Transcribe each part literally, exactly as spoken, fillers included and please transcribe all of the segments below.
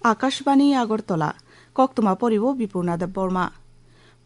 Akashbani Agartala, koktwma poribo Bipurna Debbarma.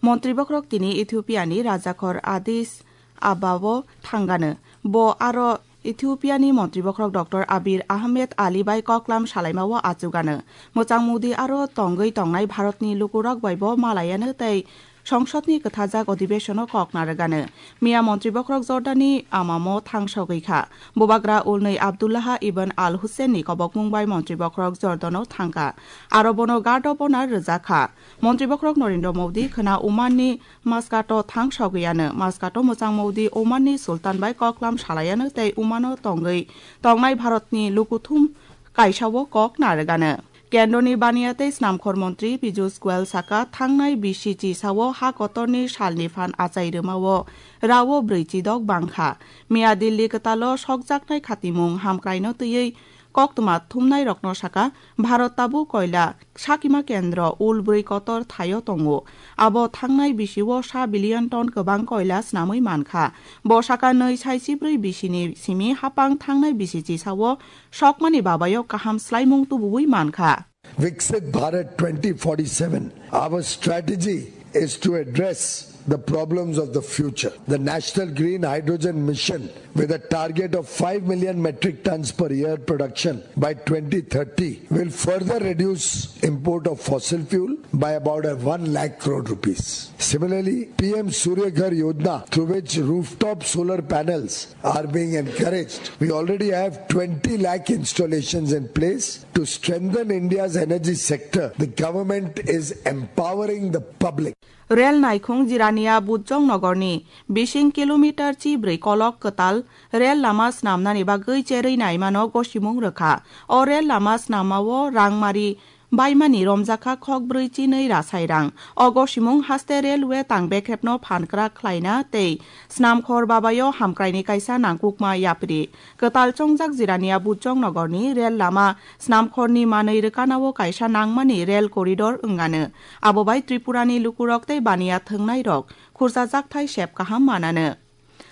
Montri bokhorok tini Ethiopia ni rajakhor Addis Ababa o thangano. Bo aro Ethiopia ni montri bokhorok Doctor Abiy Ahmed Ali bai koklam salaima o achugano. Mwchang mudi aro tongwi tongnai Bharat ni lukurok bai bo malayano tei Songsod ni kwthajak odhibeshono kok narwgano. Miya montri bokhorok Jordan ni Amam o thangsogwi kha. Bubagra ulnwi Abdullaha ibn Al Hussein ni kobokmung bai montri bokhorok Jordan o thangkha. Aro bono Guard of Honor rwjak kha. Montri bokhorok Narendra Modi khwna Oman ni Muscat o thangsogwi ano. Muscat o mwchang mudi Oman ni Sultan bai koklam salayano tei Oman o tongwi tongnai Bharat ni lukuthum kaisa o kok narwgano. Kendroni baniya tei snamkhor montri Piyush Goyal saka thangnai bisi chisao ha kotorni salni phan achai rwmao rao brwi chidok bangkha. Miya Delhi kwtalo sokjaknai khatimung hamkraino twiwi koktwma thumnairokno saka, Bharat tabuk koila sakima kendro ul brwi kotor thaio tongo. Abo thangnai bisio sa billion ton kwbang koila snamwi mankha. Bo saka nwi sai chibrwi bisini simi hapang thangnai bisi chisao sokmani babayo kaham slaimung tubuwi mankha. Viksit Bharat twenty forty-seven, our strategy is to address the problems of the future. The National Green Hydrogen Mission, with a target of five million metric tons per year production by twenty thirty, will further reduce import of fossil fuel by about a one lakh crore rupees. Similarly, P M Surya Ghar Yojana, through which rooftop solar panels are being encouraged. We already have twenty lakh installations in place. To strengthen India's energy sector, the government is empowering the public. Rel naikhung Jirania Bujong Nogorni bising kilometer chi brwi kolok kwtal rel lama snamnani bagwi cherwi naimano gosimung rwkha. O rel lama snamao rangmari baimani romjakha khok brwi chinwi rasai rang. O gosimung haste railway tang bekrepno phankrak khlaina tei snamkhor babayo hamkraini kaisa nangkukma yapri. Kwtal chongjak Jirania Bujong Nogorni rel lama snamkhorni manwi rwkanao kaisa nangmani rel corridor wngano. Abo bai Tripurani lukurok tei baniya thwngnairok khursa jakthai sep kaham manano.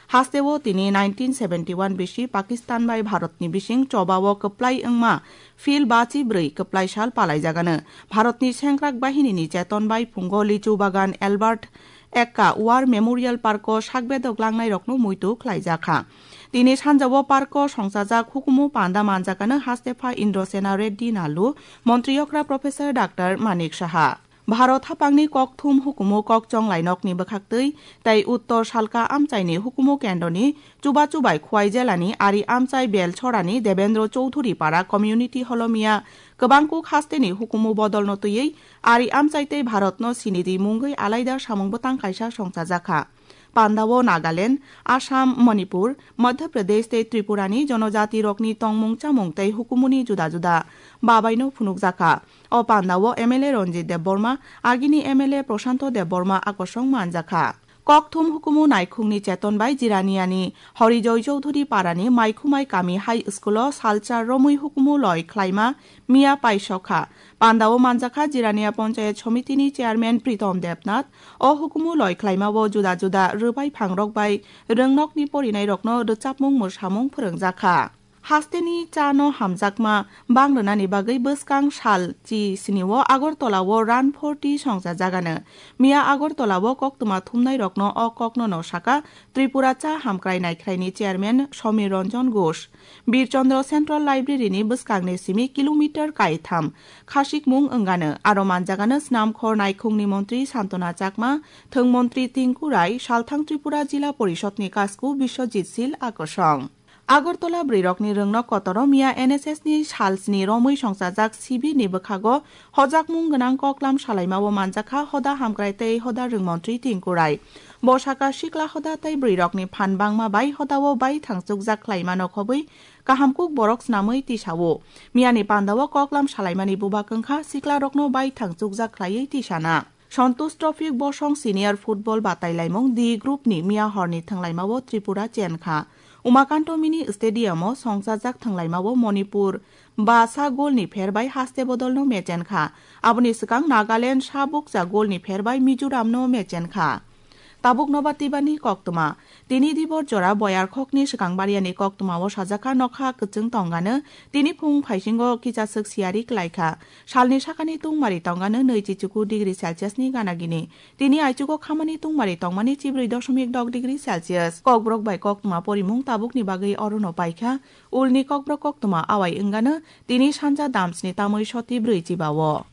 Hasteo tini nineteen seventy one bisi Pakistan bai Bharatni bising chobao kwplai wngma phil bachi brwi kwplai sal palaijagano. Bharatni sengkrak bahinini cheton bai phungo Lichu Bagan Albert Ekka War Memorial Parko sakbedok langnairokno muitu khlaijakha. Tini sanjao parko songchajak hukumu panda manjakano hastepha Indrasena Reddy Nallu, montri okra Professor Doctor Manik Saha. Bharat hapangni kokthum hukumu kokchong lainokni bwkhaktwi tei uttor salka amchaini hukumu kendroni chubachu bai Khwai jelani Ari amchai Belchorani Debendra Chowdhury para community holomiya kwbangkuk hasteni hukumu bodolno twiwi Ari amchai tei Bharatno sinidi mungwi alaida samung bwtang kaisa songchajakha. Pandao Nagaland, Assam, Manipur, Madhya Pradesh tei Tripurani jonojatirokni tongmung chamung tei hukumuni juda juda babaino phunukjakha. O pandao M L A Ranjit Debbarma, agini M L A Prashanto Debbarma akosong manjakha. Kokthum hukumu naikhungni cheton bai Jiraniani Horijoy Chowdhury parani Maikhumai kami high school-o salsa romwi hukumu loi khlaima miya paisokha. Pandao manjakha Jirania Panchayat Somitini chairman Pritom Debnath. O hukumu loi khlaimao juda juda rwbai phangrok bai rwngnokni porinairokno rwchapmung mwsamung phwrwngjakha. Hasteni chano hamjakma bang rwnani bagwi bwskang sal chi sini o Agartala o Run for Tea songchajagano. Miya Agartala o koktwma thumnairokno o kokno no saka Tripura Cha Hamkrai Naikhraini chairman Somir Ranjan Ghosh. Bir Chandra Central Library ni bwskangni simi kilometer kaitham khasikmung wngano, aro manjagano snamkhor naikhungni montri Santona Chakma, thwng montri Tinku Rai, salthang Tripura Jila Porishod ni kasku Biswajit Sil akosong. Agartala bwrwirokni rwngnok kotoro miya N S S ni salsni romwi songchajak sibir ni bwkhago hojakmung gwnang koklam salaimao manjakha hoda hamkrai tei hoda rwngmontri Tinku Rai. Bo saka sikla hoda tei bwrwirokni phan bangma bai hodao bai thangchukjak khlaimano khobwi kahamkuk borok snamwi tisao. Miyani pandao koklam salaimani bubak wngkha siklarokno bai thangchukjak khlaiwi tisana. Santosh Trophy bosong senior football batailaimung D group ni miya horni thwnglaimao Tripura chenkha. Umakanto Mini Stadium o songchajak thwnglaimao Manipur ba sa goal ni pher bai haste bodolno mechenkha. Aboni swkang Nagaland sa bukcha goal ni pher bai Mizoram no mechenkha. Tabuk nobar tibani koktwma. Tini dibor jora boyar khokni swkang bariani koktwmao sajak kha, nokha kwchwng tongano tini phung phaisingo kichaswk siyari klaikha. Salni sakani tungmari tongano nwi chichuku degree Celsius ni gana gini. Tini aichugo khamani tungmari tongmani chibrwi doshomik dok degree Celsius. Kokborok bai koktwma porimung tabukni bagwi orono paikha. Ulni kokborok koktwma awai wngano tini sanja damsni tamwi soti brwi chibao.